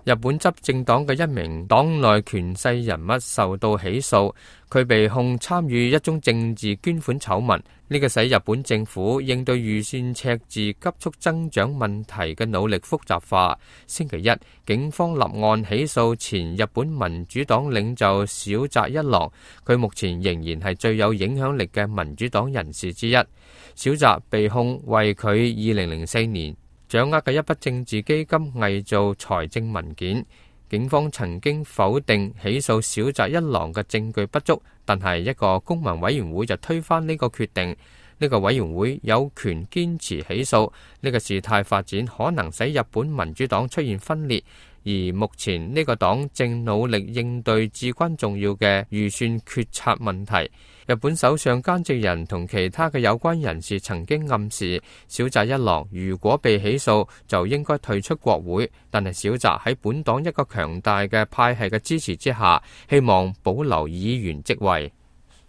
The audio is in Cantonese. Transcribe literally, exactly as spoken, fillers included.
日本執政黨嘅一名黨內權勢人物受到起訴，佢被控參與一宗政治捐款醜聞。呢個使日本政府應對預算赤字急速增長問題嘅努力複雜化。星期一，警方立案起訴前日本民主黨領袖小澤一郎，佢目前仍然係最有影響力嘅民主黨人士之一。小澤被控為佢二零零四年掌握嘅一筆政治基金偽造財政文件。警方曾經否定起訴小澤一郎嘅證據不足，但係一個公民委員會就推翻呢個決定。呢個委員會有權堅持起訴。呢個事態發展可能使日本民主黨出現分裂，而目前呢個黨正努力應對至關重要嘅預算決策問題。日本首相菅直人同其他嘅有關人士曾經暗示，小澤一郎如果被起訴就應該退出國會，但係小澤喺本黨一個強大嘅派系嘅支持之下，希望保留議員職位。